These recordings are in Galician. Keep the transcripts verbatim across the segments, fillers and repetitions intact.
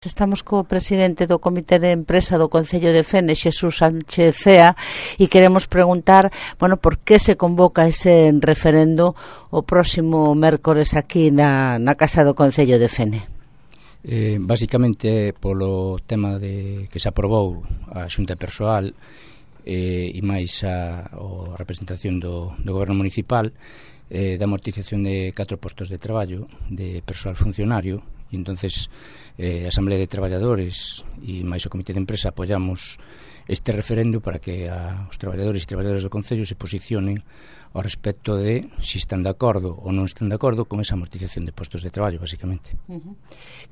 Estamos co presidente do Comité de Empresa do Concello de Fene, Xesús Sánchez Cea, e queremos preguntar, bueno, por que se convoca ese referendo o próximo mércores aquí na, na Casa do Concello de Fene. Eh, basicamente polo tema de que se aprobou a xunta persoal eh, e máis a, a representación do, do goberno municipal eh, da amortización de catro postos de traballo de persoal funcionario, e entonces eh, a Asamblea de Traballadores e máis o Comité de Empresa apoiamos este referendo para que a, os traballadores e traballadoras do Concello se posicionen ao respecto de se están de acordo ou non están de acordo con esa amortización de postos de traballo, basicamente. Uh-huh.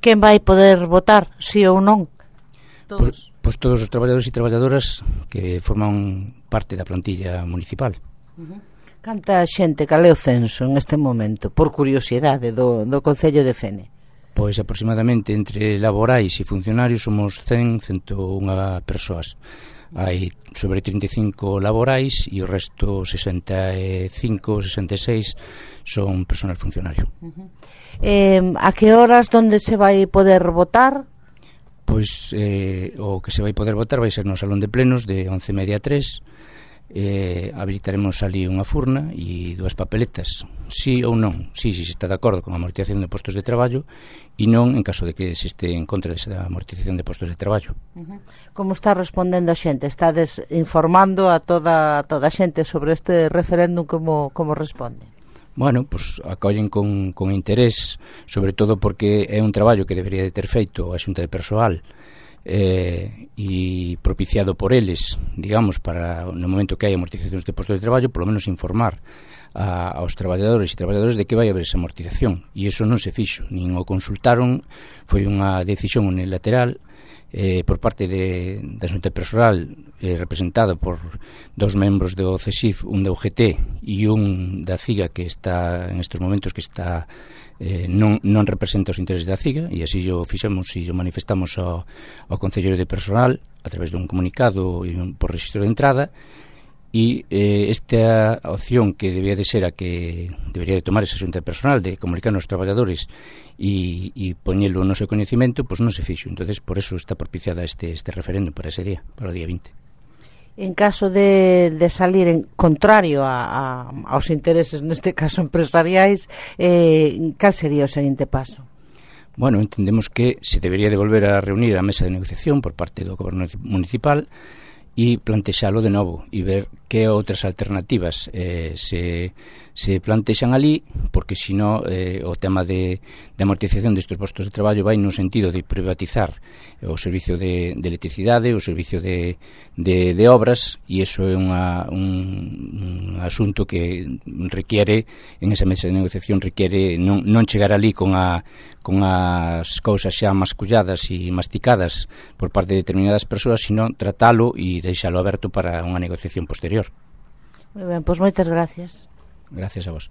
Quen vai poder votar, si ou non? Todos. Pois, pois todos os traballadores e traballadoras que forman parte da plantilla municipal. Uh-huh. Canta xente, cal é o censo en este momento, por curiosidade, do, do Concello de Fene? Pois aproximadamente entre laborais e funcionarios somos cen, cento unha persoas. Hai sobre trinta e cinco laborais e o resto sesenta e cinco, sesenta e seis son personal funcionario. Uh-huh. eh, A que horas, donde se vai poder votar? Pois eh, o que se vai poder votar vai ser no Salón de Plenos de once e media a tres. Eh, habilitaremos ali unha furna e dúas papeletas, sí ou non, sí, si se está de acordo con a amortización de postos de traballo, e non en caso de que se este en contra desa amortización de postos de traballo. Uh-huh. Como está respondendo a xente? Estades informando a toda, a toda a xente sobre este referéndum, como, como responde? Bueno, pues acollen con, con interés, sobre todo porque é un traballo que debería de ter feito a Xunta de Persoal eh, e propiciado por eles, digamos, para no momento que hai amortizacións de postos de traballo, polo menos informar a, aos traballadores e traballadores de que vai haber esa amortización, e iso non se fixo, nin o consultaron, foi unha decisión unilateral eh, por parte de, da Xunta Persoal eh, representada por dos membros do C E S I F, un da U G T e un da CIGA, que está en estes momentos que está Eh, non, non representa os intereses da CIGA, e así o fixemos e o manifestamos ao, ao Concello de Persoal a través dun comunicado e un, por registro de entrada, e eh, esta opción que debía de ser a que debería de tomar esa xunta de personal de comunicar aos traballadores e, e poñelo no seu coñecimento, pois non se fixo. Entonces por eso está propiciada este, este referendo para ese día, para o día vinte. En caso de, de salir en contrario a, a, aos intereses, neste caso empresariais, eh, cal sería o seguinte paso? Bueno, entendemos que se debería de volver a reunir a mesa de negociación por parte do goberno municipal e plantexalo de novo e ver que outras alternativas eh, se, se plantexan ali, porque sino eh, o tema de, de amortización destes postos de traballo vai no sentido de privatizar o servicio de, de electricidade, o servicio de, de, de obras, e iso é unha, un, un asunto que requiere, en esa mesa de negociación requiere non, non chegar ali con a con as cousas xa masculladas e masticadas por parte de determinadas persoas, sino tratalo e deixalo aberto para unha negociación posterior. Moi ben, pois moitas gracias. Gracias a vos.